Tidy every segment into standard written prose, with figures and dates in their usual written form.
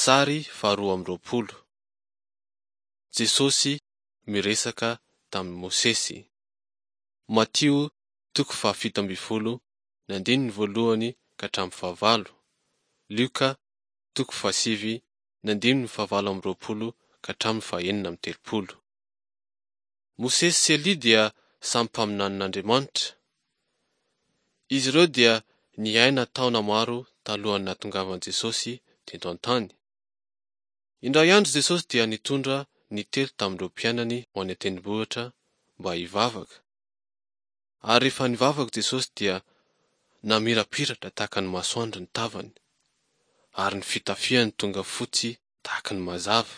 Sary faharoa amby 20. Jesosy miresaka tamin'i Mosesy. Matio toko faha-17 ny andininy voalohany ka hatramin'ny fahavalo. Lioka toko fahasivy ny andininy fahavalo amby 20 ka hatramin'ny faha-36. Mosesy sy Elia dia samy mpaminanin'Andriamanitra. Izy ireo dia niaina taona maro talohan'ny nahatongavan'i Jesosy teto an-tany. Indray andro Jesosy dia nitondra ny telo tamin'ireo mpianany ho any an-tendrombohitra mba hivavaka. Ary rehefa nivavaka Jesosy dia namirapiratra tahaka ny masoandro ny tavany, ary ny fitafiany tonga fotsy tahaka ny mazava.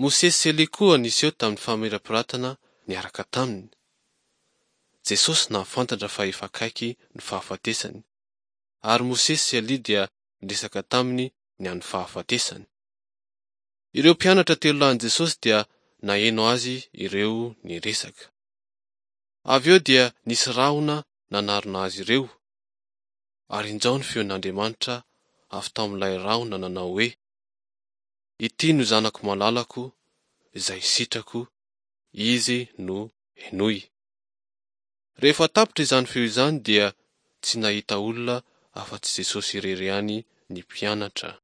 Mosesy sy Elia koa niseho tamin'ny famirapiratana niaraka taminy. Jesosy nahafantatra fa efa akaiky ny fahafatesany, ary Mosesy sy Elia dia niresaka taminy ny amin'ny fahafatesany. Ireo mpianatra telo lahin'i Jesosy dia naheno azy ireo niresaka. Avy eo dia nisy rahona nanarona azy ireo, ary injao ny feon'Andriamanitra avy tao amin'ilay rahona nanao hoe, Ity no Zanako malalako, izay sitrako, Izy no henoy. Rehefa tapitra izany feo izany dia tsy nahita olona afa-tsy Jesosy irery ihany ny mpianatra.